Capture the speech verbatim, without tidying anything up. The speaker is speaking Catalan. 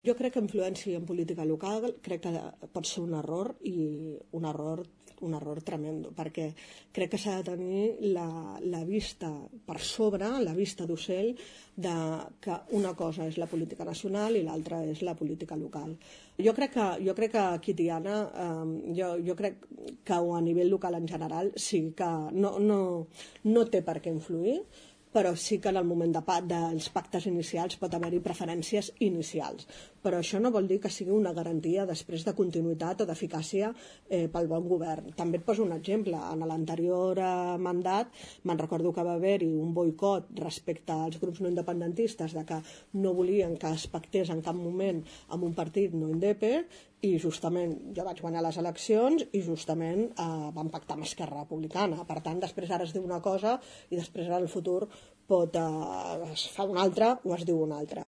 Jo crec que influència en política local crec que pot ser un error i un error, un error tremendo, perquè crec que s'ha de tenir la, la vista per sobre, la vista d'ocell, de que una cosa és la política nacional i l'altra és la política local. Jo crec que, jo crec que aquí, Tiana, eh, jo, jo crec que a nivell local en general sí que no, no, no té per què influir, però sí que en el moment de, dels pactes inicials pot haver-hi preferències inicials. Però això no vol dir que sigui una garantia després de continuïtat o d'eficàcia eh, pel bon govern. També et poso un exemple. En l'anterior eh, mandat me'n recordo que va haver-hi un boicot respecte als grups no independentistes de que no volien que es pactés en cap moment amb un partit no indepe, i justament jo vaig guanyar les eleccions i justament eh, vam pactar amb Esquerra Republicana. Per tant, després ara es diu una cosa i després ara el futur pot, eh, es fa una altra o es diu una altra.